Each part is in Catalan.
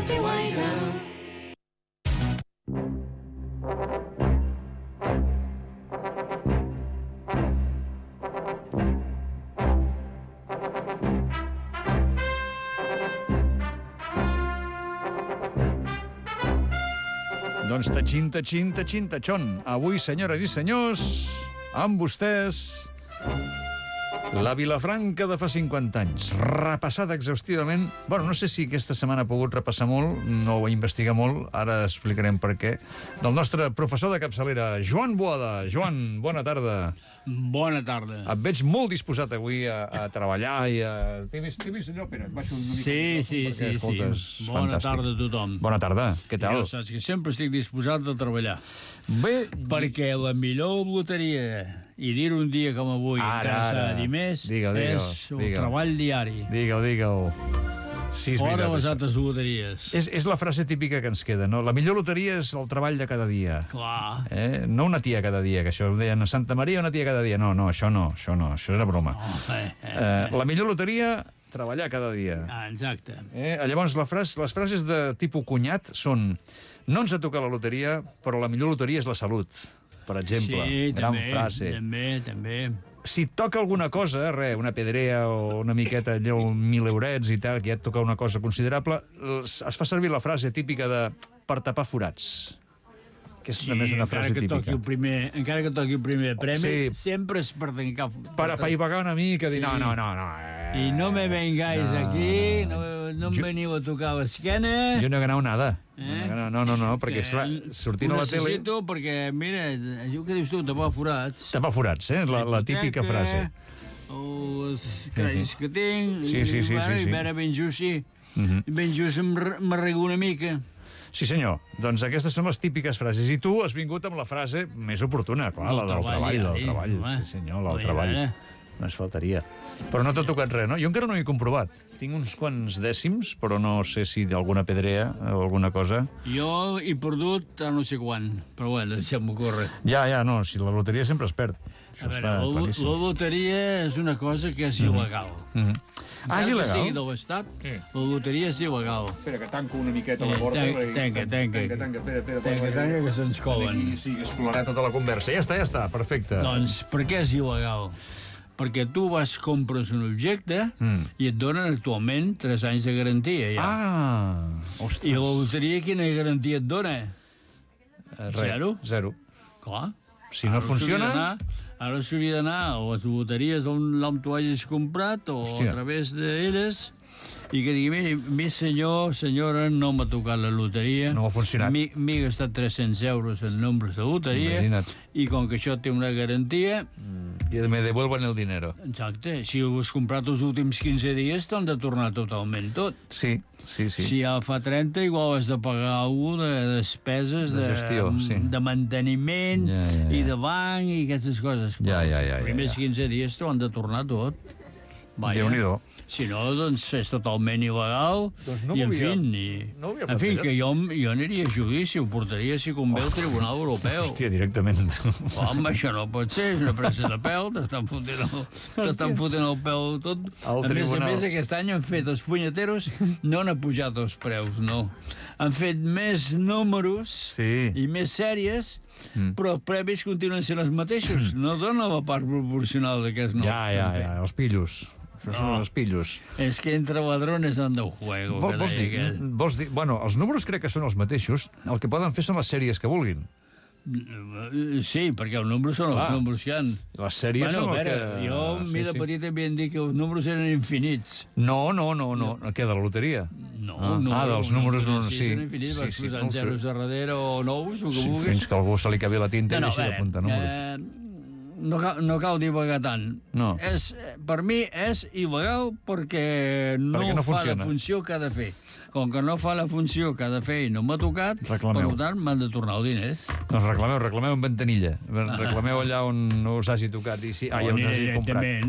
el teu aire. Doncs tatxin, avui, senyores i senyors, amb vostès, la Vilafranca de fa 50 anys, repassada exhaustivament. Bueno, no sé si aquesta setmana ha pogut repassar molt, no ho investigar molt, ara explicarem per què, del nostre professor de capçalera, Joan Boada. Joan, bona tarda. Bona tarda. Et veig molt disposat avui a treballar i a... T'he vist, senyor Pere? Baixo una mica Sí. Bona tarda a tothom. Bona tarda, què tal? Ja saps que sempre estic disposat a treballar. Bé... Perquè la millor loteria, i dir un dia com avui, encara s'ha de dir més, és el treball diari. Digue-ho. Sí, fora les altres loteries. És la frase típica que ens queda, no? La millor loteria és el treball de cada dia. Clar. No una tia cada dia, que això ho deien a Santa Maria, una tia cada dia. No, això era broma. La millor loteria, treballar cada dia. Exacte. Llavors, les frases de tipus cunyat són: no ens ha tocat la loteria, però la millor loteria és la salut, per exemple. Sí, gran frase. També. Si et toca alguna cosa, una pedrea o una miqueta, allò, 1.000 eurets i tal, que ja et toca una cosa considerable, es fa servir la frase típica de per tapar forats. Aquesta també és una frase típica. Encara que toqui el primer premi, sempre és per tancar... Per apaivagar una mica, dir no. I no me vengáis aquí, no em veniu a tocar l'esquena... Jo no he ganat nada. No, perquè sortint a la tele... Ho necessito perquè, mira, allò que dius tu, tapar forats... Tapar forats, la típica frase. Els crèdits que tinc... Sí. I ara ben just m'arrego una mica... Sí, senyor. Doncs aquestes són les típiques frases. I tu has vingut amb la frase més oportuna, clar, la del treball. Sí, senyor, la del treball. No es faltaria. Però no t'ha tocat res, no? Jo encara no ho he comprovat. Tinc uns quants dècims, però no sé si d'alguna pedrea o alguna cosa. Jo he perdut a no sé quan, però bueno, deixem-m'ho córrer. Ja, no, si la loteria sempre es perd. A veure, la loteria és una cosa que és il·legal. És il·legal? Que sigui de l'Estat, la loteria és il·legal. Espera, que tanco una miqueta la porta. Tanca, que se'ns colen. Sí, explorar tota la conversa. Ja està, perfecte. Doncs per què és il·legal? Perquè tu compres un objecte i et donen actualment 3 anys de garantia, ja. Ostres. I la loteria quina garantia et dona? Zero. Clar. Si no funciona... Ara s'hauria d'anar a les loteries on tu hagis comprat o a través d'elles i que digui, mi senyor, senyora, no m'ha tocat la loteria. No ha funcionat. M'he gastat 300 euros en nombres de loteria. Imagina't. I com que això té una garantia... I me devuelven el dinero. Exacte. Si ho has comprat els últims 15 dies, t'han de tornar totalment tot. Sí. Si ja fa 30, igual has de pagar alguna de despeses de gestió, de manteniment i de banc i aquestes coses. Els primers 15 dies t'ho han de tornar tot. Déu-n'hi-do. Si no, doncs és totalment il·legal. Doncs no i, en fi, que jo aniria a judici, ho portaria, si convé, al Tribunal Europeu. Hòstia, directament. Home, això no pot ser, és una pressa de pèl, t'estan fotent el pèl tot. A més, aquest any han fet els punyeteros, no han pujat els preus, no. Han fet més números i més sèries, però els premis continuen sent els mateixos. No dona la part proporcional d'aquests nous. Ja, els pillos. Això són els pillos. És que entre ladrones anda el juego. Vols dir, bueno, els números crec que són els mateixos, el que poden fer són les sèries que vulguin. Sí, perquè els números són els números que hi ha. Les sèries són els que... Jo, de petit, havien dit que els números eren infinits. No. Què, de la loteria? No. Dels números no, sí. Són infinits, vas posant zeros a darrere o nous, o que vulguis. Fins que algú se li cabi la tinta i deixi d'apuntar números. No cal divagar tant. No. Per mi és il·legal perquè no fa la funció que ha de fer. Com que no fa la funció que ha de fer i no m'ha tocat, per tant m'han de tornar els diners. Doncs reclameu en ventanilla. Reclameu allà on no us hagi tocat i on us hagi comprat.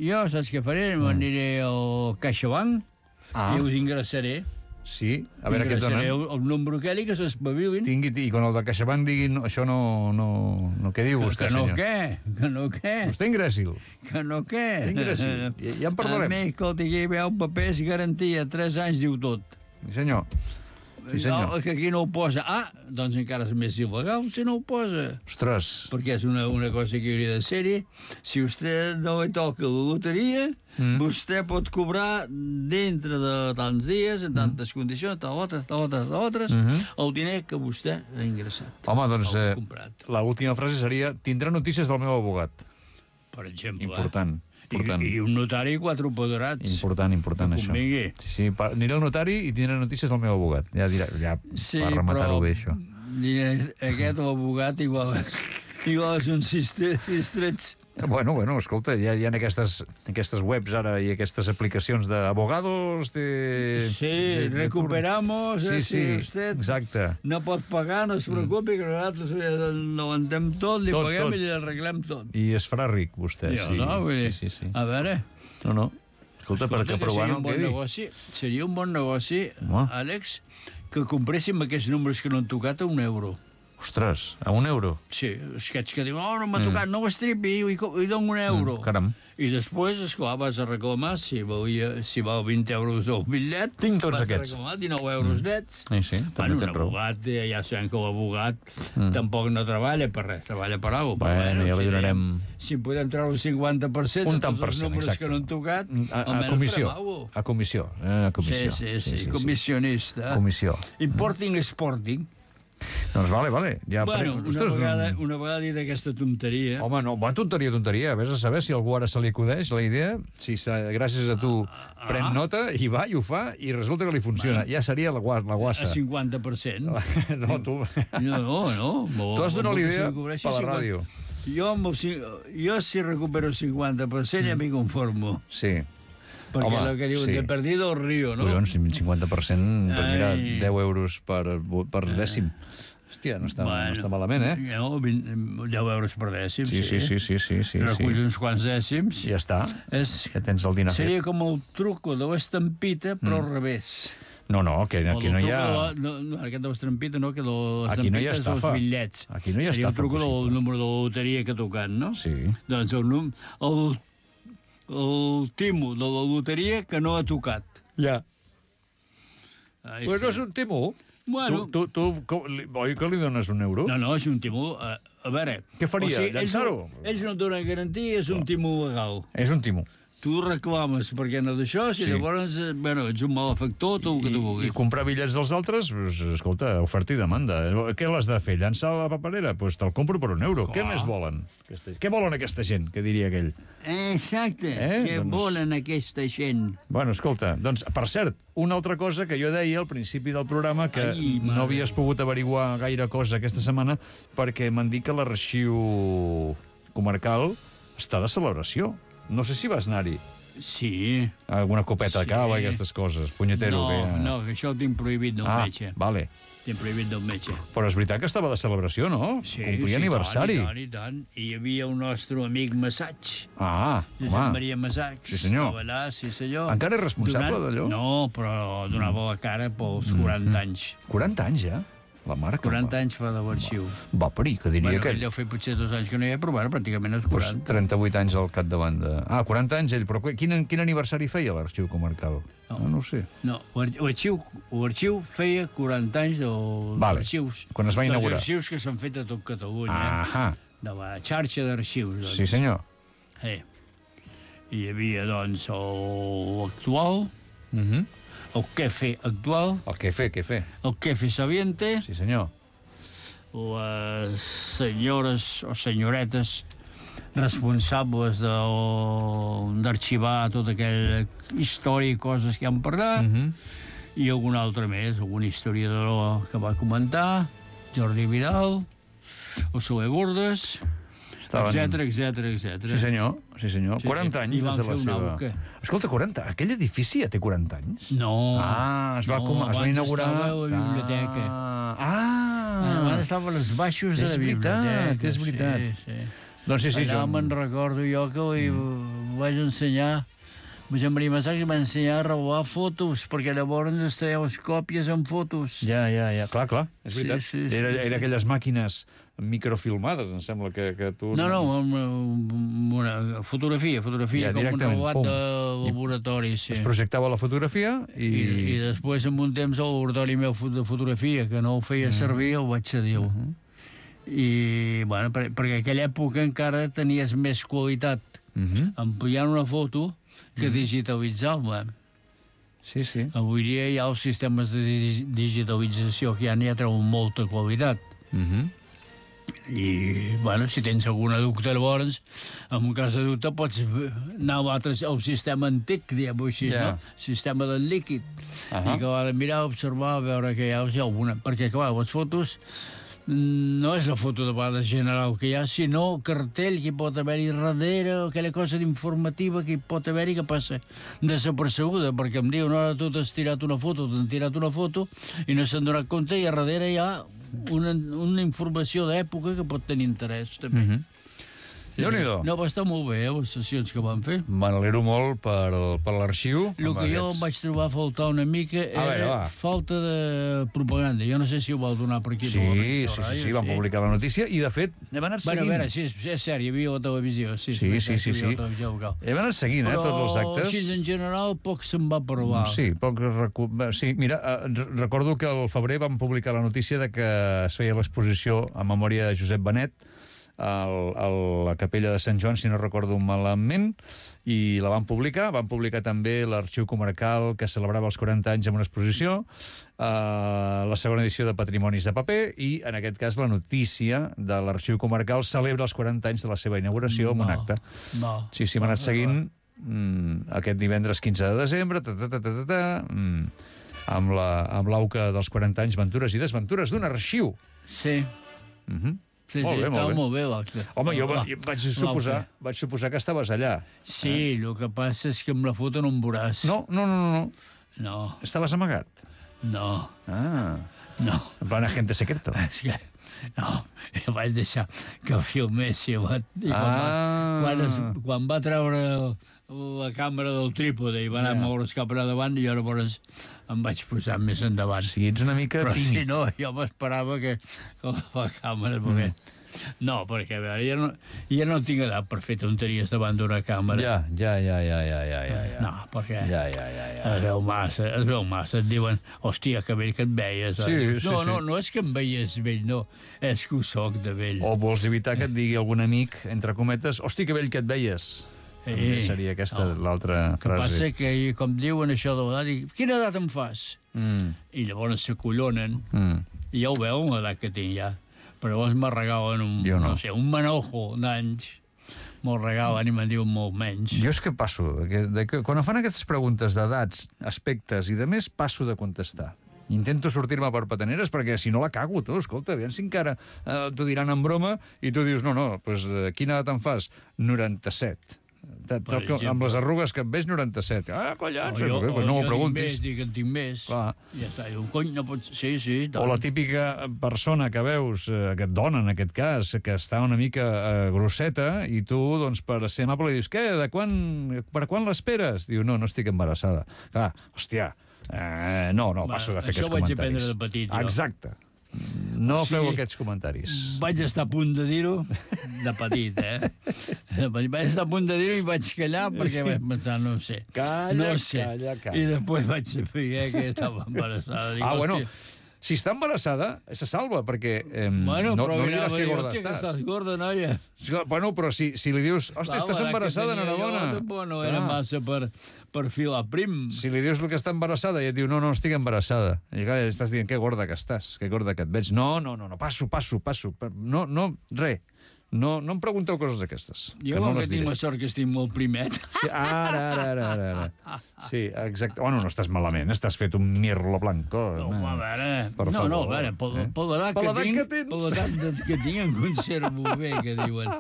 Jo saps què faré? M'aniré al CaixaBank i us ingressaré. Sí, a veure què et donen. El número aquell que s'espavilin. I quan el de CaixaBank digui això no... Què diu vostè, senyor? Que no què? Vostè ingressi'l. Que no què? Ingressi'l. Ja en parlarem. A mi, escolta, aquí hi veu papers, garantia, 3 anys, diu tot. Sí, senyor. Sí, senyor. No, que aquí no ho posa. Ah, doncs encara és més il·legal si no ho posa. Ostres. Perquè és una cosa que hauria de ser-hi. Si vostè no li toca la loteria, vostè pot cobrar dintre de tants dies, en tantes condicions, tal, el diner que vostè ha ingressat. Home, doncs, l'última frase seria: tindrà notícies del meu abogat. Per exemple. Important. I un notari i 4 apoderats. Important, això. Sí, aniré al notari i tindré notícies del meu abogat. Ja dirà, per rematar-ho bé, això. Aquest abogat igual és un cistrets. Bueno, escolta, hi ha aquestes webs ara i aquestes aplicacions d'abogados de... Sí, recuperamos... Sí, exacte. No pot pagar, no es preocupi, que nosaltres ho antem tot, li paguem i li arreglem tot. I es farà ric, vostè. Sí, a veure... No. Escolta, perquè provant el quedi. Seria un bon negoci, Àlex, que compréssim aquests números que no han tocat a €1. Ostres, a €1? Sí, aquests que diuen, no m'ha tocat, no ho estripi, i dono €1. Caram. I després, esclar, vas a reclamar, si val €20 el bitllet, tinc tots aquests. Vas a reclamar €19 nets. Sí, també tens raó. Un abogat, ja sabem que l'abogat tampoc no treballa per res, treballa per alguna cosa. Bueno, ja li donarem... Si podem treure el 50% de tots els números que no han tocat, almenys farem alguna cosa. A comissió. Sí, comissionista. Comissió. Importing, exporting. Doncs vale. Ja una vegada dit aquesta tonteria... Home, no, tonteria. Vés a saber si algú ara se li acudeix la idea, si gràcies a tu pren nota i va i ho fa i resulta que li funciona. Ja seria la guassa. A 50%. No, tu... No. Tu has donat l'idea per la ràdio. Jo si recupero el 50% ja m'hi conformo. Sí. Perquè el que diuen de perdido el río, no? Collons, 50%, doncs mira, €10 per dècim. Hòstia, no està malament, eh? No, €10 per dècim, sí. Reculls uns quants dècims. Ja està, ja tens el dinar fet. Seria com el truco de l'estampita, però al revés. No, que aquí no hi ha... Aquest de l'estampita, no, que l'estampita aquí no hi ha estafa. És els bitllets. Aquí no hi ha estafa. Seria un truco del número de la loteria que ha tocat, no? Sí. Doncs el timo de la loteria que no ha tocat. Ja. Però és un timo. Bueno. Tu oi que li dones €1? No, és un timo. A veure... Què faria, llançar-ho? Ells no et donen garantia, és un timo legal. És un timo. Tu reclames perquè no d'això, si llavors, ets un malefactor, tot el que tu vulguis. I comprar bitllets dels altres, escolta, oferta i demanda. Què l'has de fer? Llançar la paperera? Doncs te'l compro per €1. Què més volen? Què volen aquesta gent, que diria aquell? Exacte, què volen aquesta gent? Bueno, escolta, doncs, per cert, una altra cosa que jo deia al principi del programa, que no havies pogut averiguar gaire cosa aquesta setmana, perquè m'han dit que l'arxiu comarcal està de celebració. No sé si vas anar-hi. Sí. Alguna copeta de cava i aquestes coses. Punyetero. No, que això ho tinc prohibit del metge. Vale. Tinc prohibit del metge. Però és veritat que estava de celebració, no? Sí, complia aniversari. I tant. I hi havia un nostre amic Massaig. Home. Maria Massaig. Sí, senyor. Estava allà, sí, senyor. Encara és responsable d'allò? No, però donava la cara pels 40 anys. 40 anys, ja? La marca. 40 anys fa de l'arxiu. Va, perill, que diria que... Ell deu fer potser 2 anys que no hi ha, però pràcticament és 40. 38 anys al capdavant de... 40 anys ell, però quin aniversari feia l'arxiu comarcal? No ho sé. No, l'arxiu feia 40 anys dels arxius. Quan es va inaugurar. Els arxius que s'han fet a tot Catalunya. De la xarxa d'arxius. Sí, senyor. Hi havia, doncs, l'actual... El Quefe actual. El Quefe. El Quefe Sabiente. Sí, senyor. Les senyores o senyoretes responsables d'arxivar tota aquella història i coses que han parlat, i algun altre més, algun historiador que va comentar, Jordi Vidal, o Soler Bordes... etcètera. Sí, senyor. 40 anys des de la seva... Escolta, 40... Aquell edifici ja té 40 anys? No. Es va inaugurar... Abans estava a la biblioteca. Abans estava als baixos de la biblioteca. És veritat. Doncs sí, allà me'n recordo jo que li vaig ensenyar... Josep Maria Massaig va ensenyar a revelar fotos, perquè llavors es treien les còpies amb fotos. Ja. Clar. És veritat. Era aquelles màquines microfilmades, em sembla que tu... No, amb una Fotografia, com un robot de laboratori, sí. Es projectava la fotografia I després, en un temps, el laboratori meu de fotografia, que no ho feia servir, el vaig cedir. I, bueno, perquè en aquella època encara tenies més qualitat ampliant una foto que digitalitzar-la. Sí, sí. Avui dia hi ha els sistemes de digitalització que ja n'hi ha treuen molta qualitat. I, bueno, si tens alguna dubte, llavors, en un cas de dubte, pots anar al sistema antic, diguem-ho així, no? Sistema del líquid. I que l'ha de mirar, observar, veure que hi ha alguna... Perquè, clar, les fotos no és la foto de vegades general que hi ha, sinó cartell que hi pot haver-hi darrere, aquella cosa d'informativa que hi pot haver-hi que passa desapercebuda, perquè em diuen, ara tu t'has tirat una foto, t'han tirat una foto, i no s'han donat compte, i a darrere hi ha una informació d'època que pot tenir interès, també. Déu-n'hi-do. No, va estar molt bé, les sessions que van fer. M'alegro molt per l'arxiu. El que jo vaig trobar a faltar una mica era falta de propaganda. Jo no sé si ho vau donar per aquí. Sí, van publicar la notícia i, de fet, hem anat seguint. Bueno, a veure, sí, és cert, hi havia la televisió. Sí. Hem anat seguint, tots els actes. Però, així, en general, poc se'n va parlar. Sí, mira, recordo que al febrer van publicar la notícia de que es feia l'exposició a memòria de Josep Benet a la capella de Sant Joan, si no recordo malament, i la van publicar també l'Arxiu Comarcal, que celebrava els 40 anys amb una exposició, la segona edició de Patrimonis de Paper, i, en aquest cas, la notícia de l'Arxiu Comarcal celebra els 40 anys de la seva inauguració amb un acte. Sí, m'ha anat seguint aquest divendres 15 de desembre, amb l'auca dels 40 anys, aventures i desventures d'un arxiu. Sí. Sí, estava molt bé l'acte. Home, jo vaig suposar que estaves allà. Sí, el que passa és que amb la foto no em veuràs. No. Estaves amagat? No. No. En plan agente secreto? No, jo vaig deixar que filmessi. Quan va treure la càmera del trípode i va anar a moure's cap a davant, i llavors em vaig posar més endavant. Sí, ets una mica tímid. Però si no, jo m'esperava que la càmera... No, perquè, a veure, jo no tinc edat per fer tonteries davant d'una càmera. Ja. No, perquè es veu massa, et diuen, hòstia, que vell que et veies. No és que em veies vell, no, és que ho soc de vell. O vols evitar que et digui algun amic, entre cometes, hòstia, que vell que et veies. Seria aquesta l'altra frase. El que passa que, com diuen això de l'edat, dic, quina edat em fas? I llavors s'acollonen, i ja ho veuen l'edat que tinc ja. Però llavors me regalen un manojo d'anys, me'l regalen i me'n diuen molt menys. Jo és que passo, quan em fan aquestes preguntes d'edats, aspectes i de més, passo de contestar. Intento sortir-me per petaneres perquè si no la cago, tu, escolta, aviam si encara t'ho diran en broma i tu dius, no, doncs quina edat em fas? 97. Amb les arrugues que em veig, 97. Collons, no m'ho preguntis. Dic que en tinc més. Ja està, diu, cony, no pots... Sí. O la típica persona que veus, aquest dona, en aquest cas, que està una mica grosseta, i tu, doncs, per ser amable, dius, què, per quan l'esperes? Diu, no estic embarassada. Clar, hòstia, no, passo de fer aquests comentaris. Això vaig aprendre de petit, jo. Exacte. No feu aquests comentaris. Vaig estar a punt de dir-ho, de petit, Vaig estar a punt de dir-ho i vaig callar perquè vaig pensar, no sé. Calla. I després vaig saber que estava embarassada. Bueno, si està embarassada, se salva, perquè no li diràs que gorda estàs. Que estàs gorda, noia. Bueno, però si li dius, hòstia, estàs embarassada, enhorabona. No era massa per filar prim. Si li dius el que està embarassada i et diu, no, estic embarassada. I clar, estàs dient, que gorda que estàs, que gorda que et veig. No, passo. No, res. No em pregunteu coses d'aquestes. Jo com que tinc la sort que estic molt primet. Sí, ara. Sí, exacte. Bueno, no estàs malament, estàs fet un mirlo blanco. No, a veure, per l'edat que tinc em conservo bé, que diuen.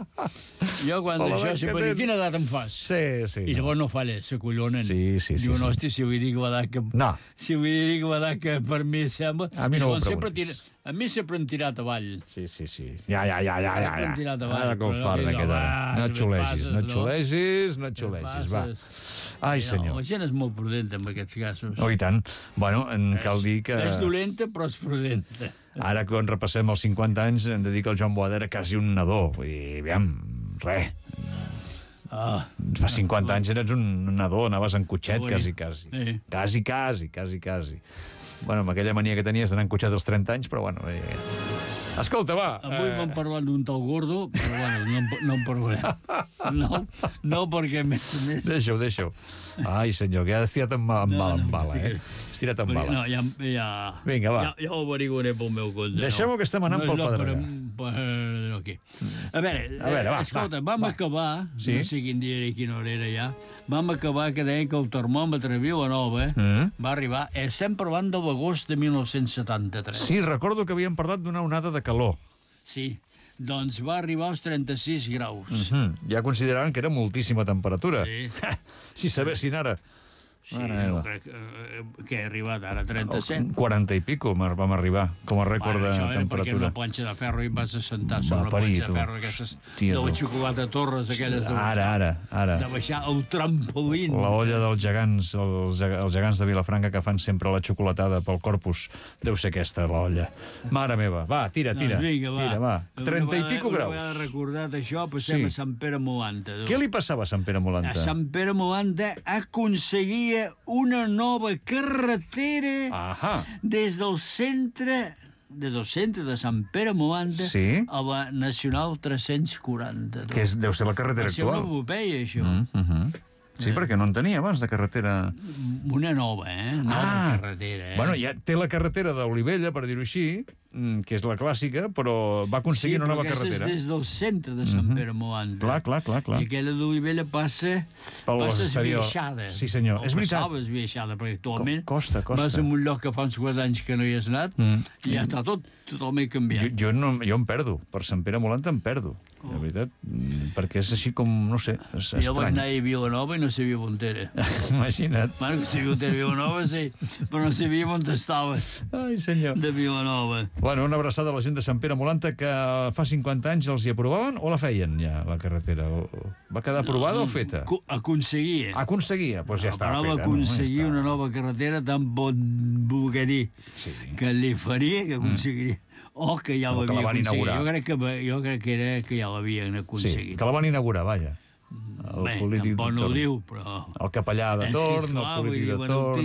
Jo quan d'això sempre dic, quina edat em fas? Sí. I llavors no falla, s'acollonen. Sí. Diuen, hòstia, si vull dir que l'edat que... No. Si vull dir que l'edat que per mi sembla... A mi no ho preguntis. A mi sempre han tirat avall. Sí. Ja. Ara com farda queda. No et xulegis, va. Ai, senyor. La gent és molt prudenta en aquests casos. Oh, i tant. Bueno, cal dir que... És dolenta, però és prudenta. Ara, quan repassem els 50 anys, hem de dir que el Joan Boada era quasi un nadó. Vull dir, aviam, res. Fa 50 anys eres un nadó, anaves en cotxet, quasi. Quasi. Bueno, amb aquella mania que tenies d'anar en cotxet als 30 anys, però bueno... Escolta, va... Avui m'han parlat d'un tal gordo, però bueno, no en parlarem. No, perquè més... Deixa-ho. Ai, senyor, que has estirat en bala, eh? Estirat en bala. No, ja... Vinga, va. Ja ho averiguaré pel meu compte. Deixem-ho, que estem anant pel Pedregà. Aquí. A veure, escolta, vam acabar, no sé quin dia era i quina hora era ja, vam acabar que deien que el termòmetre a Vilanova va arribar, estem parlant de l'agost de 1973. Sí, recordo que havíem parlat d'una onada de calor. Sí, doncs va arribar als 36 graus. Ja consideraven que era moltíssima temperatura. Sí. Si sabessin ara. Sí, jo crec que he arribat ara a 37. 40 i pico vam arribar, com a rècord de temperatura. Això era perquè era una planxa de ferro i em vas assentar sobre la planxa de ferro aquestes de la xocolata Torres, aquelles de Ara. De baixar el trampolín. La olla dels gegants, els gegants de Vilafranca que fan sempre la xocolatada pel corpus. Deu ser aquesta, la olla. Mare meva, va, tira. Vinga, va. 30 i pico graus. Una vegada recordat això, passem a Sant Pere Molanta. Què li passava a Sant Pere Molanta? A Sant Pere Molanta aconseguia una nova carretera des del centre de Sant Pere Molanta a la Nacional 340. Que deu ser la carretera actual. Va ser una epopeia, això. Sí, perquè no en tenia abans de carretera... Una nova, nova carretera. Bueno, ja té la carretera d'Olivella, per dir-ho així, que és la clàssica, però va aconseguir una nova carretera. Sí, però aquesta és des del centre de Sant Pere Molanta. Clar. I aquella d'Olivella passa esbiaixada. Sí, senyor. És veritat. Passava esbiaixada, perquè actualment costa. Vas a un lloc que fa uns quants anys que no hi has anat i ja està tot totalment canviat. Jo em perdo. Per Sant Pere Molanta em perdo. De veritat, perquè és així com, no sé, és estrany. Jo vaig anar a Vilanova i no sabia on era. Imagina't. Bueno, que sabia on era Vilanova, sí, però no sabia on estaves. Ai, senyor. De Vilanova. Bueno, una abraçada a la gent de Sant Pere Molanta que fa 50 anys els hi aprovaven o la feien ja, la carretera? Va quedar aprovada o feta? Aconseguia. Doncs ja estava feta. Va aconseguir una nova carretera, tant pot voler dir que li faria, que aconseguiria. O que ja l'havia aconseguit. Jo crec que era que ja l'havien aconseguit. Sí, que la van inaugurar, vaja. Bé, tampoc no ho diu, però... El capellà de torn, el polític de torn...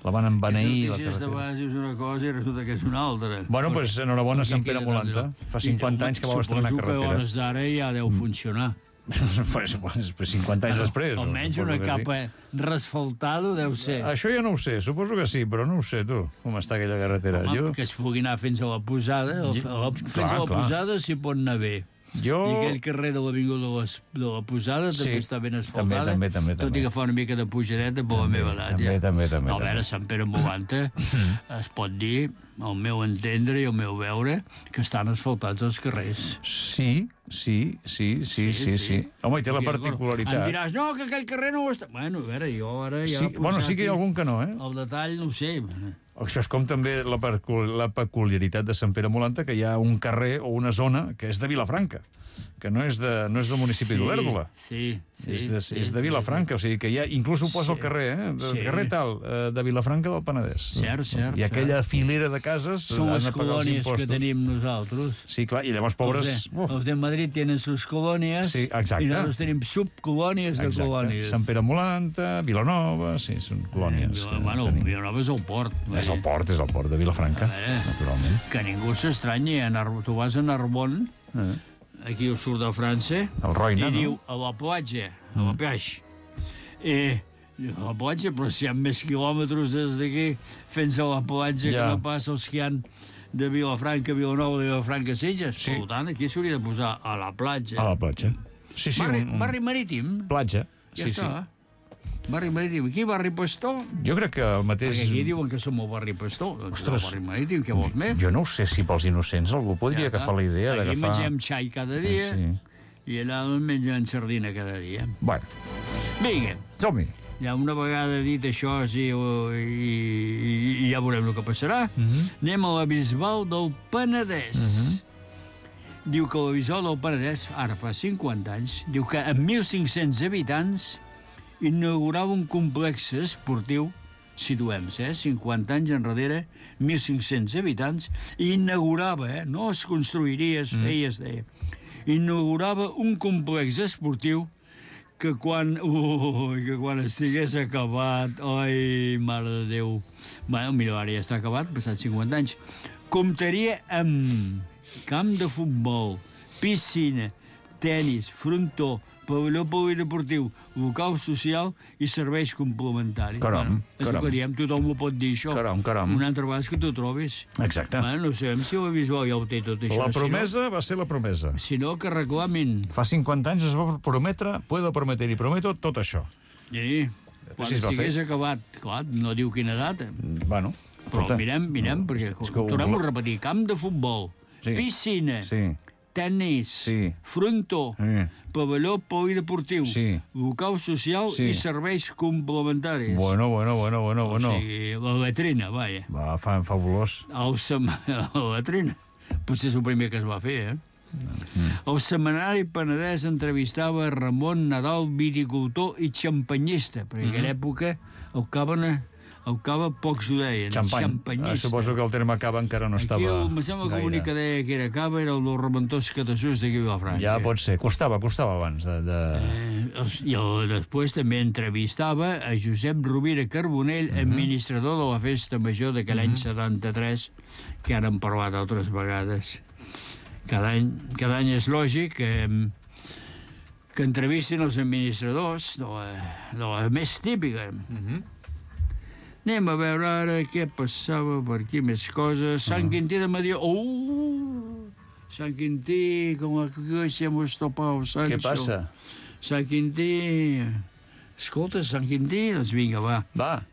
La van embeneir, la carretera. Les notícies de base és una cosa i resulta que és una altra. Bueno, doncs enhorabona a Sant Pere Molanta. Fa 50 anys que va estrenar carretera. Suposo que a hores d'ara ja deu funcionar. 50 anys després. Almenys una capa resfaltada deu ser. Això ja no ho sé, suposo que sí, però no ho sé, tu, com està aquella carretera. Que es pugui anar fins a la posada, fins a la posada s'hi pot anar bé. I aquell carrer de l'avinguda de la Posada també està ben asfaltada, tot i que fa una mica de pujadeta per la meva edat. També. A veure, Sant Pere Molanta es pot dir, al meu entendre i al meu veure, que estan asfaltats els carrers. Sí. Home, i té la particularitat. Em diràs, no, que aquell carrer no ho està... Bueno, a veure, jo ara ja... Bueno, sí que hi ha algun que no, eh? El detall no ho sé. Això és com també la peculiaritat de Sant Pere Molanta, que hi ha un carrer o una zona que és de Vilafranca, que no és del municipi d'Olèrdola. És de Vilafranca, o sigui que hi ha... Inclús ho posa al carrer, carrer tal, de Vilafranca del Penedès. Cert. I aquella filera de cases són les colònies que tenim nosaltres. Sí, clar, i llavors, pobres... Els de Madrid tenen sus colònies i nosaltres tenim subcolònies de colònies. Sant Pere Molanta, Vilanova, sí, són colònies. Bueno, Vilanova és el port. És el port de Vilafranca, naturalment. Que ningú s'estranyi, tu vas a Narbonne, aquí al sud de França, i diu a la platja, a la plage. A la platja, però si hi ha més quilòmetres des d'aquí fins a la platja que no pas els que hi ha de Vilafranca, Vilanova, de Vilafranca, Sitges. Per tant, aquí s'hauria de posar a la platja. A la platja. Barri marítim. Platja. Ja està. Barri marítim. Aquí, barri Pastor. Jo crec que el mateix... Perquè aquí diuen que som el barri Pastor. Ostres, el barri marítim, què vols més? Jo no ho sé si pels innocents algú podria agafar la idea d'agafar... Aquí mengem xai cada dia i allà mengen sardina cada dia. Bueno. Vinga. Som-hi. Ja una vegada dit això i ja veurem el que passarà, anem a la Bisbal del Penedès. Diu que la Bisbal del Penedès, ara fa 50 anys, diu que amb 1.500 habitants inaugurava un complex esportiu, situem-se, 50 anys enrere, 1.500 habitants, i inaugurava, no es construiria, es feia, inaugurava un complex esportiu que quan estigués acabat, ai, mare de Déu, bueno, mira, ara ja està acabat, passat 50 anys, comptaria amb camp de futbol, piscina, tenis, frontó, pavelló polideportiu, local social i serveis complementaris. Caram, és el que diem, tothom ho pot dir, això. Caram. Una altra vegada que t'ho trobis. Exacte. No sabem si el bisbal ja ho té tot això. La promesa va ser la promesa. Si no, que reclamin. Fa 50 anys es va prometre, puedo prometer i prometo tot això. Sí, quan estigués acabat. Clar, no diu quina data. Bueno, però mirem, perquè tornem a repetir. Camp de futbol, piscina, tenis, frontó, pavelló polideportiu, local social i serveis complementaris. Bueno. O sigui, la latrina, vaja. Va, fabulós. La latrina. Potser és el primer que es va fer, El setmanari Penedès entrevistava Ramon Nadal, viticultor i xampanyista, perquè en aquella època el cava pocs ho deien. Xampanyista. Suposo que el terme cava encara no estava gaire. Me sembla que l'únic que deia que era cava era el del Reventós Catassús d'aquí a Vilafranca. Ja pot ser. Costava abans de... I després també entrevistava a Josep Rovira Carbonell, administrador de la Festa Major d'aquell any 73, que ara hem parlat altres vegades. Cada any és lògic que entrevistin els administradors de la més típica. Anem a veure ara què passava per aquí, més coses. Sant Quintí de Mediona. Sant Quintí, com que hemos topado, Sancho. Què passa? Sant Quintí... Escolta, Sant Quintí, doncs vinga, va.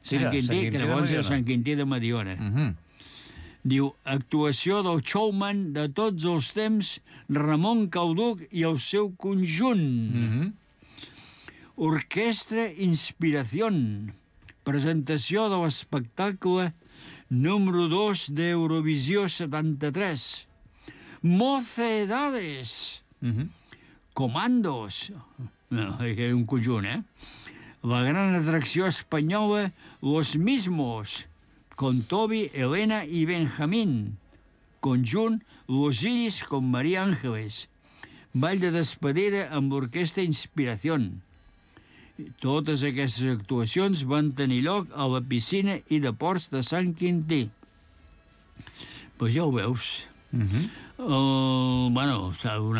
Sant Quintí, que llavors era Sant Quintí de Mediona. Diu, actuació del showman de tots els temps, Ramon Cauduc i el seu conjunt. Orquestra Inspiración. Presentació de l'espectacle número 2 d'Eurovisió 73. Mocedades. Comandos. Que és un conjunt, La gran atracció espanyola, Los Mismos, con Toby, Elena i Benjamín. Conjunt, Los Iris con María Ángeles. Ball de despedida amb l'Orquestra Inspiración. Totes aquestes actuacions van tenir lloc a la piscina i de ports de Sant Quintí. Pues ja ho veus. Una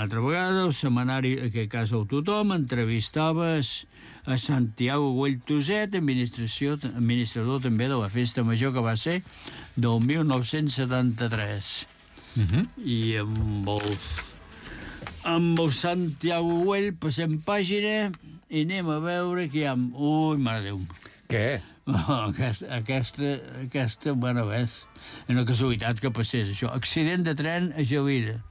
altra vegada, el setmanari, en aquest cas el Tothom, entrevistaves a Santiago Güell Tuset, administrador també de la Festa Major, que va ser del 1973. I amb el Santiago Güell passem pàgina i anem a veure què hi ha... Ui, mare Déu. Què? Aquesta, bueno, és una casualitat que passés això. Accident de tren a Gelida.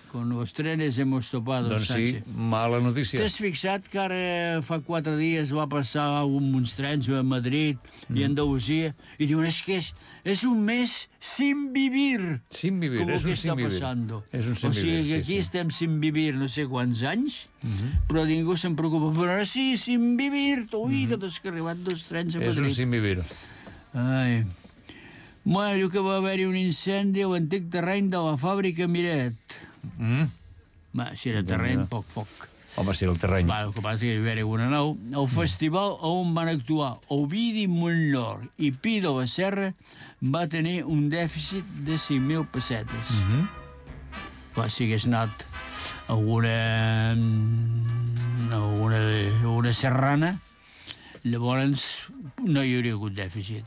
Con los trenes hemos topado. Doncs sí, mala notícia. T'has fixat que ara fa 4 dies va passar uns trens a Madrid i a Andalusia i diuen, és que és un mes sin vivir. Sin vivir, és un sin vivir. O sigui que aquí estem sin vivir no sé quants anys, però ningú se'n preocupa. Però ara sí, sin vivir. Ui, que t'has arribat 2 trens a Madrid. És un sin vivir. Ai... Bueno, diu que va haver-hi un incendi a l'antic terreny de la fàbrica Miret. Si era terreny, poc foc. Home, si era el terreny. El que passa que hi va haver una nau. El festival on van actuar Ovidi Montllor i Pi de la Serra va tenir un dèficit de 5.000 pessetes. Si hagués anat alguna serrana, llavors no hi hauria hagut dèficit.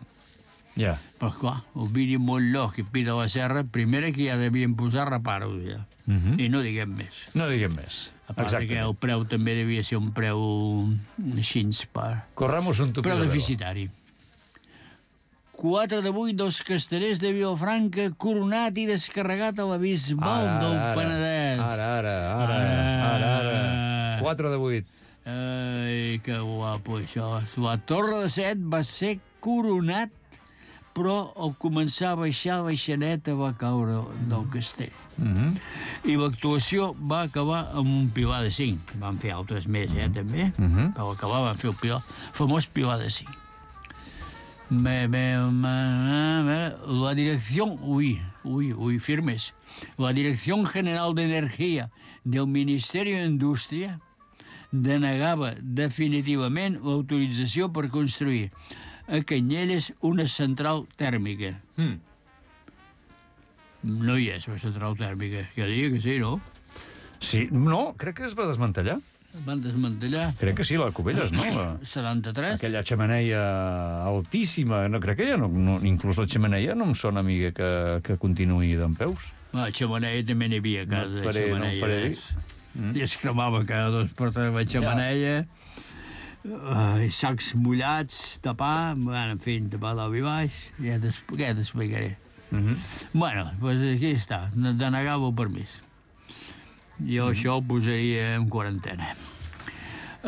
Ja. Però, clar, Ovidi Montllor i Pi de la Serra, primera que ja devien posar reparos, ja. I no diguem més. No diguem més. A part que el preu també devia ser un preu així per... Corramos un tupido. Preu deficitari. 4 de 8 dels castellers de Vilafranca coronat i descarregat a la Bisbal del Penedès. Ara. 4 de 8. Ai, que guapo, això. La Torre de Set va ser coronat, però al començar a baixar, la baixaneta va caure del castell. I l'actuació va acabar amb un pilar de 5. Van fer altres més, també. Però acabar van fer el famós pilar de 5. La dirección... firmes. La Dirección General de Energía del Ministerio de Industria denegava definitivament l'autorització per construir a Canyelles una central tèrmica. No hi és, la central tèrmica. Jo diria que sí, no? Sí, no, crec que es va desmantellar. Van desmantellar. Crec que sí, la Cubelles, no? 73. Aquella xemeneia altíssima. No, crec que ja no, inclús la xemeneia no em sona, amiga, que continuï dempeus. La xemeneia també n'hi havia a casa. No em faré dir. I es cremava cada 2 per 3 la xemeneia. Sacs mullats, tapar, bueno, en fi, tapar dalt i baix. Ja t'explicaré. Bueno, doncs aquí està, denegava el permís. Jo això ho posaria en quarantena.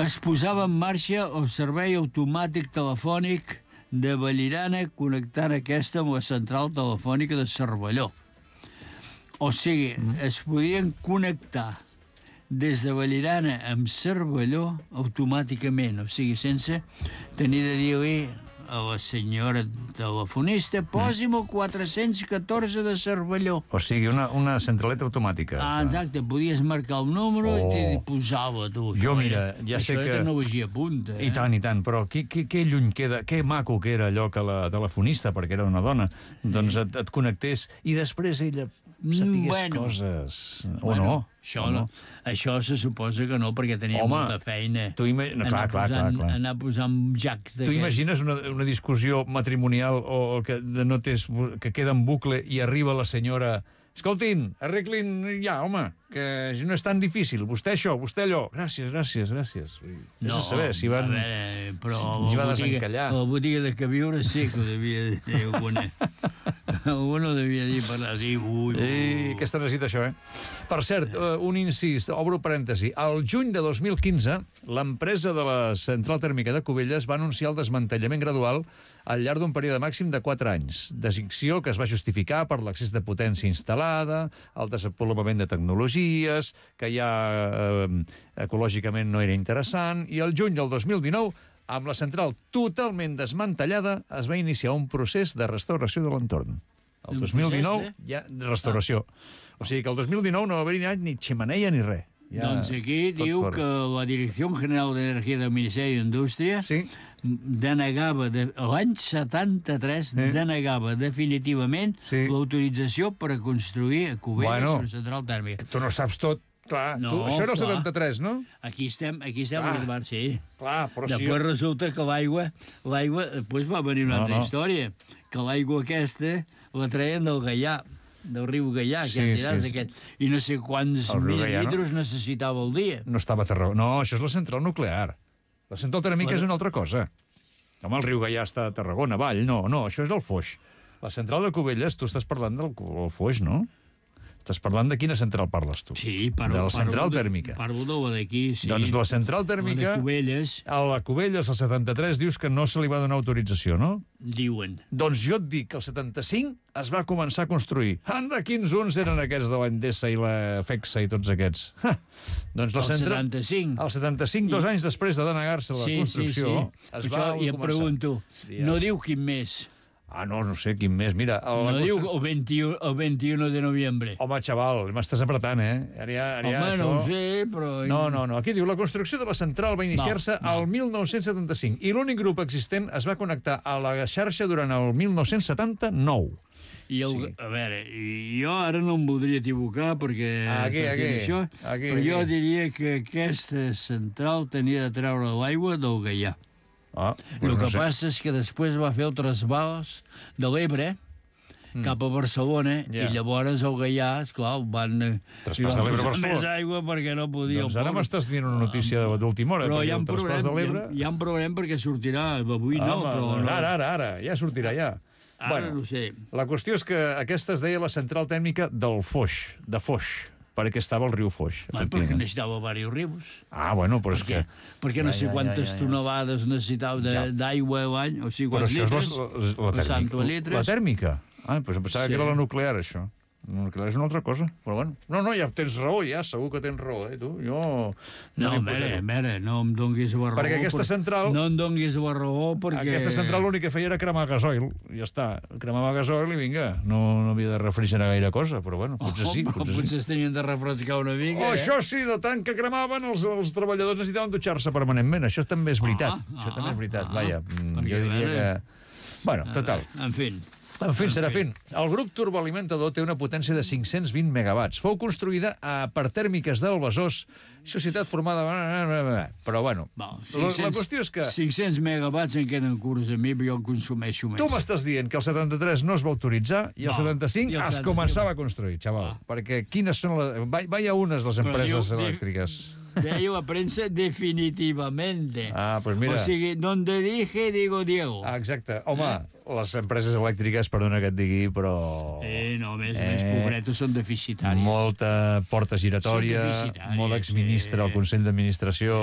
Es posava en marxa el servei automàtic telefònic de Vallirana connectant aquesta amb la central telefònica de Cervelló. O sigui, es podien connectar des de Vallirana amb Cervelló automàticament, o sigui, sense tenir de dir-li a la senyora telefonista, posi'm el 414 de Cervelló. O sigui, una centraleta automàtica. Exacte, podies marcar el número i t'hi posava, tu. Jo, mira, ja sé que... Això era tecnologia punta, I tant, però que lluny queda, que maco que era allò que la telefonista, perquè era una dona, doncs et connectés i després ella sapigués coses. O no? Això se suposa que no, perquè tenia molta feina. Clar. Anar posant jacs d'aquests. Tu imagines una discussió matrimonial o que queda en bucle i arriba la senyora... Escoltin, arreglin ja, home, que no és tan difícil. Vostè això, vostè allò. Gràcies. No, saber si van... A veure, però si va desencallar. A la botiga de Cabiure sí que ho devia dir alguna. Alguno devia dir parlar així. Aquesta necessita això, Per cert, un incís, obro parèntesi. Al juny de 2015, l'empresa de la central tèrmica de Cubelles va anunciar el desmantellament gradual al llarg d'un període màxim de 4 anys. Decisió que es va justificar per l'excés de potència instal·lada, el desenvolupament de tecnologies, que ja ecològicament no era interessant, i el juny del 2019, amb la central totalment desmantellada, es va iniciar un procés de restauració de l'entorn. El 2019, ja, de restauració. O sigui que el 2019 no va haver ni xemeneia ni res. Doncs aquí diu que la Direcció General d'Energia del Ministeri d'Indústria denegava, l'any 73, denegava definitivament l'autorització per a construir a Cubelles una central tèrmica. Tu no saps tot. Clar, això era el 73, no? Aquí estem arribant, sí. Clar, però sí. Després resulta que l'aigua, després va venir una altra història, que l'aigua aquesta la treien del Gaià, del riu Gaià, i no sé quants litres necessitava al dia. No estava a Tarragona. No, això és la central nuclear. La central tèrmica és una altra cosa. Home, el riu Gaià està a Tarragona, avall. No, això és el Foix. La central de Cubelles, tu estàs parlant del Foix, no? Estàs parlant de quina central parles tu? Sí, de la central tèrmica. Parlo de la d'aquí, sí. Doncs la central tèrmica... La de Cubelles. A la Cubelles, al 73, dius que no se li va donar autorització, no? Diuen. Doncs jo et dic que el 75 es va començar a construir. Anda, quins uns eren aquests de l'Endesa i la FEXA i tots aquests. Doncs la central... El 75? El 75, 2 anys després de denegar-se la construcció, es va començar. I em pregunto, no diu quin més... no sé, quin més. Mira... No diu el 21 de novembre. Home, xaval, m'estàs apretant, Home, no ho sé, però... No. Aquí diu, la construcció de la central va iniciar-se al 1975 i l'únic grup existent es va connectar a la xarxa durant el 1979. A veure, jo ara no em voldria equivocar perquè... Però jo diria que aquesta central tenia de treure l'aigua del Gaià. El que passa és que després va fer el trasbals de l'Ebre cap a Barcelona i llavors el Gaià, esclar, van traspàs de l'Ebre a Barcelona. Més aigua perquè no podia... Doncs ara m'estàs dient una notícia d'última hora, perquè el traspàs de l'Ebre... Hi ha un problema perquè sortirà, avui no, però... Ara, ja sortirà, ja. Ara no sé. La qüestió és que aquesta es deia la central tèrmica del Foix, de Foix, perquè estava al riu Foix. Perquè necessitava diversos rius. Bueno, però és que... Perquè no sé quantes tonelades necessitava d'aigua a l'any, o sigui, quants litres. Però això és la tèrmica. La tèrmica? Doncs em pensava que era la nuclear, això. Nuclear és una altra cosa, però bueno. No, ja tens raó, ja, segur que tens raó, tu. Jo... No, a veure, no em donguis la raó. Perquè aquesta central... No em donguis la raó perquè... Aquesta central l'únic que feia era cremar gasoil, ja està. Cremava gasoil i vinga, no havia de refrigerar gaire cosa, però bueno, potser sí. Potser es tenien de refrescar una mica, Això sí, de tant que cremaven, els treballadors necessitaven dutxar-se permanentment. Això també és veritat. Això també és veritat, vaja. Jo diria que... Bueno, total. En fi, Serafín, el grup turboalimentador té una potència de 520 megawatts. Fou construïda per tèrmiques del Besòs, societat formada... Però, bueno, la qüestió és que... 500 megawatts en queden curts a mi, però jo en consumeixo més. Tu m'estàs dient que el 73 no es va autoritzar i el 75 es començava a construir, xaval. Perquè quines són les... Vaya unes les empreses elèctriques. Deia la premsa definitivamente. Pues mira. O sigui, donde dije, digo Diego. Exacte. Home, les empreses elèctriques, perdona que et digui, però... No, més pobretos són deficitaris. Molta porta giratòria, molt exministre al Consell d'Administració,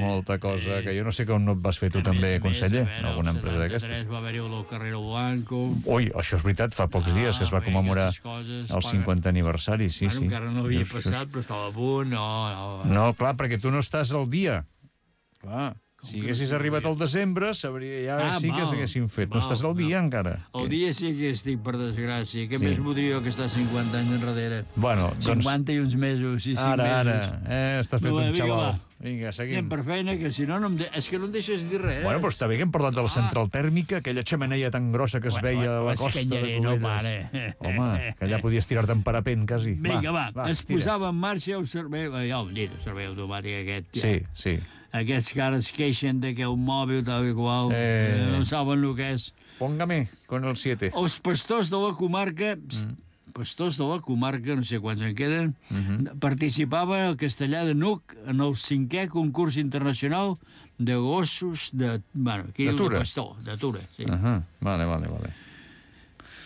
molta cosa, que jo no sé com no et vas fer tu també, conseller, en alguna empresa d'aquestes. El 73 va haver-hi el Carrero Blanco... Ui, això és veritat, fa pocs dies que es va commemorar el 50 aniversari, sí. Encara no havia passat, però estava a punt, no, clar, perquè tu no estàs al dia. Clar, si haguessis arribat al desembre, ja sí que s'haguessin fet. No estàs al dia encara. El dia sí que estic, per desgràcia. Què més voldria jo que està 50 anys enrere? Bueno, doncs... 50 i uns mesos, i 5 mesos. Ara, estàs fet un xaval. Vinga, seguim. Anem per feina, que si no, és que no em deixes dir res. Bueno, però està bé que hem parlat de la central tèrmica, aquella xemeneia tan grossa que es veia a la costa de Cubelles. Home, que allà podies tirar-te en parapent, quasi. Vinga, va, es posava en marxa el servei... Ja ho hem dit, el servei automàtic aquest. Sí. Aquests que ara es queixen de que un mòbil tal i qual no saben el que és. Póngame con el 7. Els pastors de la comarca... Pastors de la comarca, no sé quants en queden, participaven al Castellà de Nuc en el 5è concurs internacional de gossos de... Bueno, aquí diu de pastor, de Tura, sí. Vale.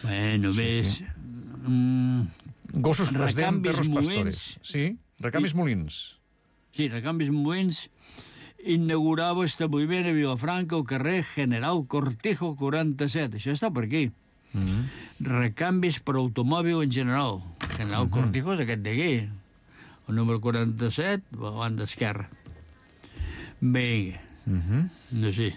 Bueno, més... Gossos resident perros pastores. Sí, recanvis molins. Sí, recanvis molins. Inaugurava establiment a Vilafranca al carrer General Cortijo 47. Això està per aquí. Recanvis per automòbil en general. General Cortijo és aquest d'aquí. El número 47, a la banda esquerra. Vinga. No sé.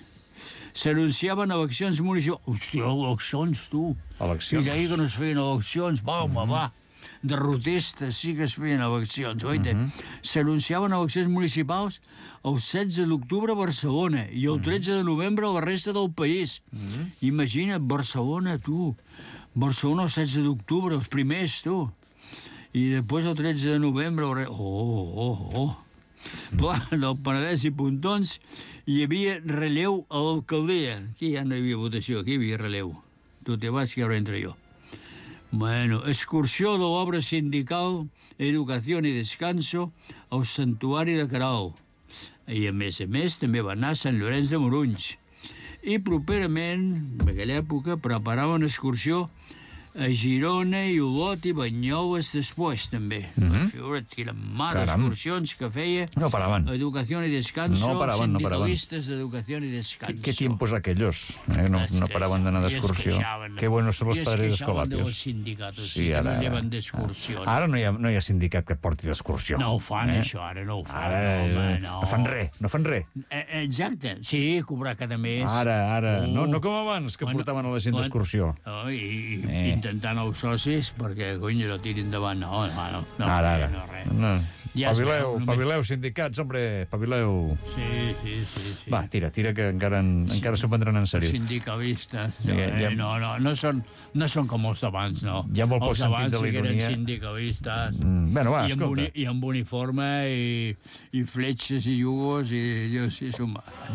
S'anunciaven eleccions municipals. Hòstia, eleccions, tu. Eleccions? I deia que no es feien eleccions. Va. Derrotistes sí que es feien eleccions, oita? S'anunciaven eleccions municipals el 16 d'octubre a Barcelona i el 13 de novembre a la resta del país. Imagina't, Barcelona, tu. Barcelona el 16 d'octubre, els primers, tu. I després el 13 de novembre... Del Penedès i Pontons hi havia relleu a l'alcaldia. Aquí ja no hi havia votació, aquí hi havia relleu. Tu te vas, que ara entro jo. Bueno, excursió de l'obra sindical Educació i Descanso al Santuari de Caral. I, a més, també va anar a Sant Llorenç de Morunys. I properament, en aquella època, preparaven excursió a Girona i Olot i Banyoles després, també. Figura't, quines males excursions que feia. No paraven. Educació i Descanso, sindicalistes d'Educació i Descanso. ¿Qué tiempos aquellos? No paraban de anar d'excursió. Qué buenos son los padres escolapios. I es queixaven dels sindicats, sí, que no lleven d'excursions. Ara no hi ha sindicat que porti d'excursió. No ho fan, això, ara no ho fan. No fan res. Exacte, sí, cobrar cada mes. Ara. No com abans, que portaven a la gent d'excursió. I intentant els socis perquè, cony, no tirin endavant. No, ara. No. Pavileu, sindicats, hombre, pavileu. Sí. Va, tira, que encara s'ho prendran en sèrio. Sindicalistes. No són com els d'abans, no. Hi ha molt poc sentit de l'ironia. Els d'abans sí que eren sindicalistes. Bueno, va, escolta. I amb uniforme, i fletxes i jugos, i jo sí,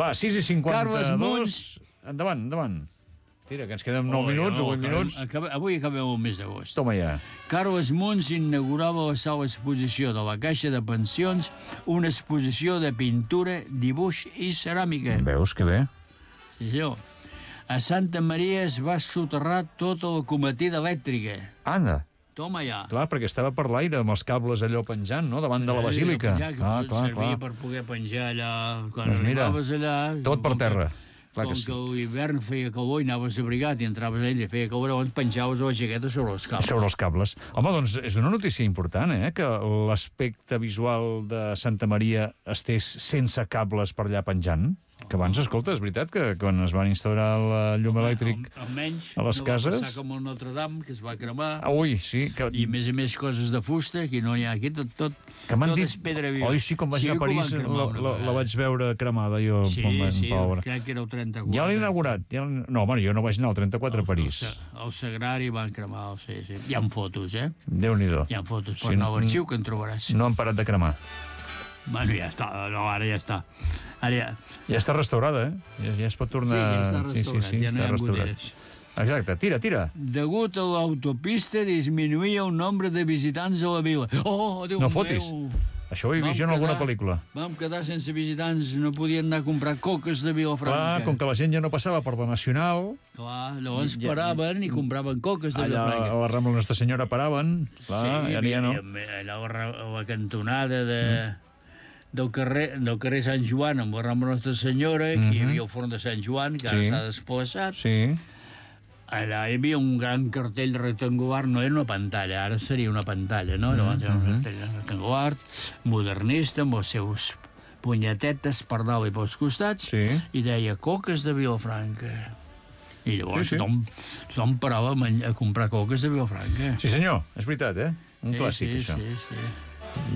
Va, 6:52. Endavant. Tira, que ens queden 9 minuts o 8 minuts. Avui acabem el mes d'agost. Toma ja. Carles Munts inaugurava la sala exposició de la Caixa de Pensions una exposició de pintura, dibuix i ceràmica. Veus que bé? Sí, senyor. A Santa Maria es va soterrar tota la cometida elèctrica. Anda. Toma ja. Clar, perquè estava per l'aire, amb els cables allò penjant, no?, davant de la basílica. Clar. Servia per poder penjar allà. Quan doncs mira, allà, tot per terra. Clar com que sí. que l'hivern feia calor i anaves abrigat i entraves a ell i feia calor, llavors penjaves la jaqueta sobre els cables. Sobre els cables. Home, doncs és una notícia important, que l'aspecte visual de Santa Maria estés sense cables per allà penjant. Que abans, escolta, és veritat que quan es van instaurar el llum elèctric almenys a les cases... No va passar com el Notre Dame, que es va cremar. Ui, sí. I, a més, coses de fusta, que no n'hi ha aquí, tot és pedra viva. Oi, sí, quan vaig anar a París la vaig veure cremada, jo. Sí, crec que era el 34. Ja l'he inaugurat. No, home, jo no vaig anar al 34 a París. El Sagrari van cremar, sí. Hi ha fotos, Déu-n'hi-do. Hi ha fotos per nou arxiu que en trobaràs. No han parat de cremar. Bueno, ja està. No, ara ja està. Ja està restaurada, Ja es pot tornar... Sí, ja està restaurat. Exacte, tira. Degut a l'autopista disminuïa el nombre de visitants a la vila. Oh, Déu meu! No fotis. Això ho he vist jo en alguna pel·lícula. Vam quedar sense visitants, no podien anar a comprar coques de Vilafranca. Clar, com que la gent ja no passava per la Nacional... Clar, llavors paraven i compraven coques de Vilafranca. Allà a la Rambla Nostra Senyora paraven, clar, sí, ja no. Allà a la cantonada del carrer Sant Joan, amb la Rambla Nostra Senyora, que hi havia el forn de Sant Joan, que ara s'ha desplaçat. Sí. Allà hi havia un gran cartell rectangular, no era una pantalla, ara seria una pantalla, no? Llavors era un cartell rectangular, modernista, amb les seus punyetetes per dalt i pels costats, i deia coques de Vilafranca. I llavors tothom parava a comprar coques de Vilafranca. Sí, senyor, és veritat, Un clàssic, això. Sí.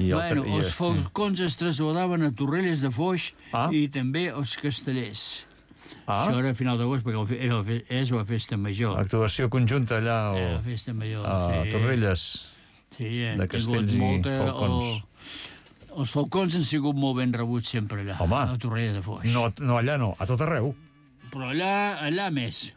Els falcons es traslladaven a Torrelles de Foix i també als Castellers. Això era a final d'agost, perquè és la festa major. Actuació conjunta allà la festa major, a Torrelles de Castells i Falcons. Els falcons han sigut molt ben rebuts sempre allà, a Torrelles de Foix. No, allà no, a tot arreu. Però allà més.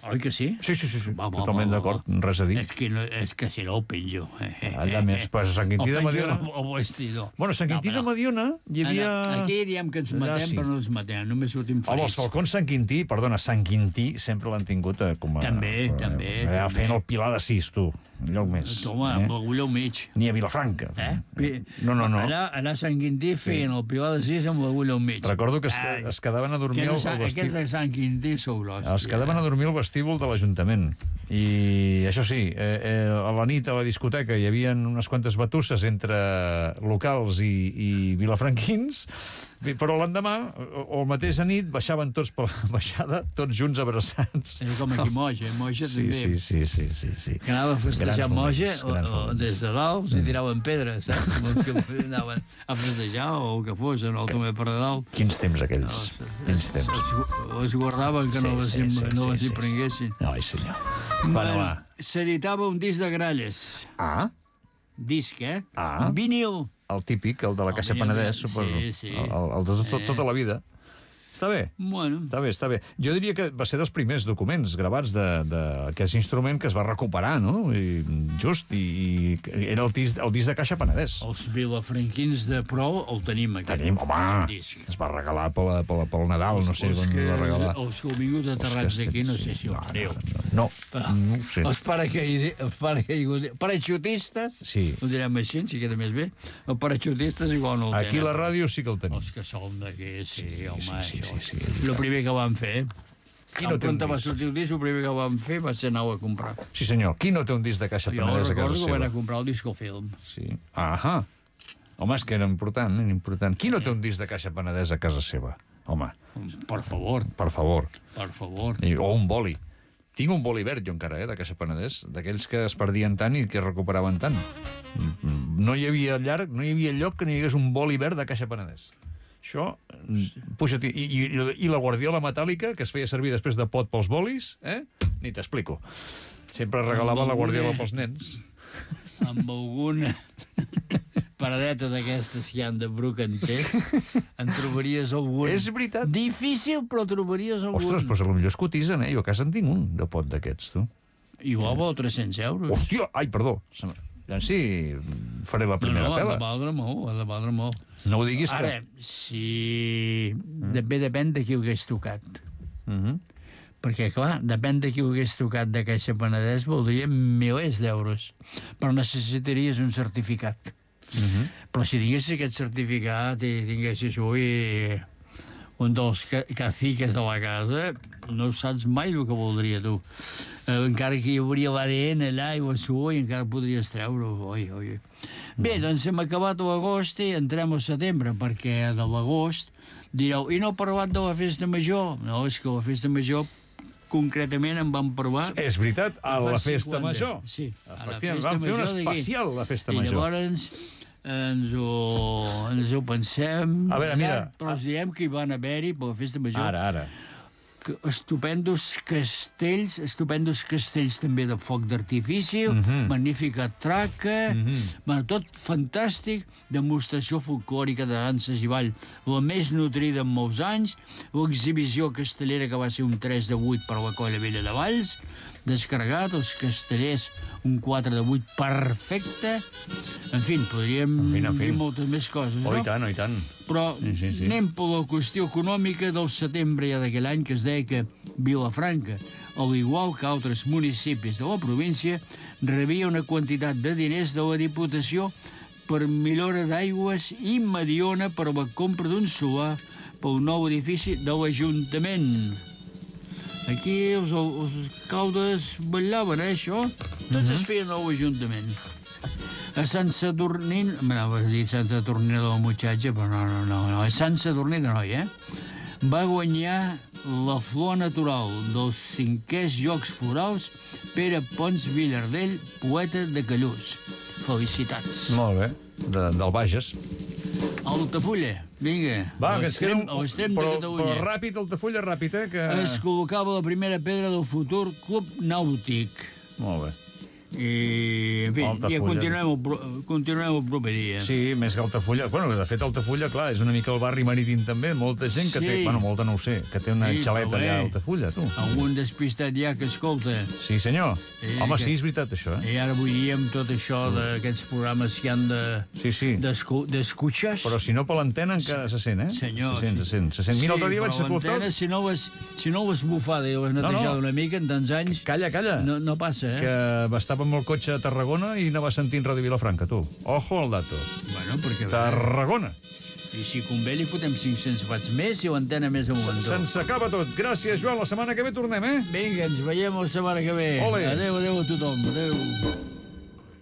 Oi que sí? Sí, totalment d'acord, res a dir. És que si no ho penjo. Allà més, però a Sant Quintí de Mediona... O vestidor. Bueno, a Sant Quintí de Mediona hi havia... Aquí diem que ens matem, però no ens matem, només sortim ferits. Home, els falcons Sant Quintí sempre l'han tingut com a... També. Feien el Pilar de Sis, tu, un lloc més. Home, amb l'agulló al mig. Ni a Vilafranca. No. Allà a Sant Quintí feien el Pilar de Sis amb l'agulló al mig. Recordo que es quedaven a dormir al vestíbul. Aquests de Sant Quintí sou l'hòstia. Es quedaven a dormir al vestíbul de l'Ajuntament. I això sí, a la nit a la discoteca hi havia unes quantes batusses entre locals i vilafranquins, però l'endemà, o el mateix nit, baixaven tots per la baixada, tots junts abraçats. És com aquí Moja també. Sí. Que anava a festejar Moja, des de dalt, i tiraven pedres, saps? Que anaven a festejar, o que fos, en el Tomé per dalt. Quins temps aquells, quins temps. Les guardaven que no les hi prenguessin. Ai, senyor. S'editava un disc de gralles. Disc, vinil. El típic, el de la Caixa Penedès, suposo. Sí. El de tota la vida. Està bé. Bueno. Està bé. Jo diria que va ser dels primers documents gravats d'aquest instrument que es va recuperar, no? I era el disc de Caixa Penedès. Els vilafranquins de Pro el tenim, aquest. Home, es va regalar pel Nadal, no sé on es va regalar. Els que heu vingut aterrats d'aquí, no sé si ho teniu. No ho sé. Els paraxutistes, ho direm així, si queda més bé, els paraxutistes igual no el tenen. Aquí a la ràdio sí que el tenim. Els que som d'aquí, sí, home, el primer que vam fer, quan va sortir el disc, el primer que vam fer va ser anar a comprar. Sí, senyor. Qui no té un disc de Caixa Penedès a casa seva? Jo recordo que vam anar a comprar el discofilm. Sí. Home, és que era important. Qui no té un disc de Caixa Penedès a casa seva? Home. Per favor. O un boli. Tinc un boli verd, jo encara, de Caixa Penedès, d'aquells que es perdien tant i que es recuperaven tant. No hi havia lloc que no hi hagués un boli verd de Caixa Penedès. Això, puja-t'hi. I la guardiola metàl·lica, que es feia servir després de pot pels bolis, ni t'explico. Sempre regalava la guardiola pels nens. Amb alguna paradeta d'aquestes que hi ha de brocanters, en trobaries algun. És veritat. Difícil, però trobaries algun. Ostres, però potser es cotitzen, Jo a casa en tinc un de pot d'aquests, tu. Igual val 300 euros. Hòstia, perdó. Sí, faré la primera pela. Ha de valdre molt. No ho diguis que... Ara, si... Depèn de qui ho hagués tocat. Perquè, clar, depèn de qui ho hagués tocat de Caixa Penedès, voldria milers d'euros. Però necessitaries un certificat. Però si tinguessis aquest certificat i tinguessis avui un dels caciques de la casa, no saps mai el que voldria, tu. Encara que hi hauria l'ADN allà i la suor i encara podries treure-ho. Bé, doncs hem acabat l'agost i entrem al setembre, perquè de l'agost direu, i no he parlat de la festa major? No, és que la festa major concretament en vam parlar... És veritat, a la festa major. Sí. Efectivament, vam fer un especial a la festa major. I llavors ens ho pensem... A veure, mira... Però us diem que hi van haver-hi, per la festa major... Ara. Estupendos castells també de foc d'artifici, magnífica traca, tot fantàstic, demostració folclòrica de danses i ball, la més nutrida en molts anys, l'exhibició castellera que va ser un 3 de 8 per la Colla Vella de Valls, descarregat, els castellers un 4 de 8 perfecte. En fi, podríem dir moltes més coses, no? Oh, i tant. Però anem per la qüestió econòmica del setembre ja d'aquell any, que es deia que Vilafranca, al igual que altres municipis de la província, rebia una quantitat de diners de la Diputació per millora d'aigües i Mediona per la compra d'un solar pel nou edifici de l'Ajuntament. Aquí els alcaldes ballaven, això? Tots es feien a l'Ajuntament. A Sant Sadurní... M'anava a dir Sant Sadurní de la muchacha, però no. A Sant Sadurní de noi, va guanyar la flor natural dels 5è Jocs Florals Pere Pons Villardell, poeta de Callús. Felicitats. Molt bé, del Bages. Altafulla, vinga. Va, que ens queda l'extrem de Catalunya. Però ràpid, Altafulla, ràpid, que... Es col·locava la primera pedra del futur Club Nàutic. Molt bé. I, en fi, ja continuem el proper dia. Sí, més que Altafulla. Bueno, de fet, Altafulla, clar, és una mica el barri marítim també. Molta gent que té... Bueno, molta no ho sé, que té una xaleta allà a Altafulla, tu. Algun despistat ja que escolta. Sí, senyor. Home, sí, és veritat, això, I ara avui dia amb tot això d'aquests programes que han de... Sí. D'escutxes. Però si no per l'antena encara se sent, Senyor. Se sent. Mira, l'altre dia vaig escoltar... Sí, però l'antena, si no ho has bufada i ho has netejat una mica, en tants anys... Calla. No passa, Que estava amb el cotxe a Tarragona i anava sentint Ràdio Vilafranca, tu. Ojo al dato. Bueno, perquè... Tarragona. I si convé li fotem 500 watts més i l'antena més amunt. Se'ns acaba tot. Gràcies, Joan. La setmana que ve tornem, Vinga, ens veiem la setmana que ve. Ole. Adéu a tothom. Adéu.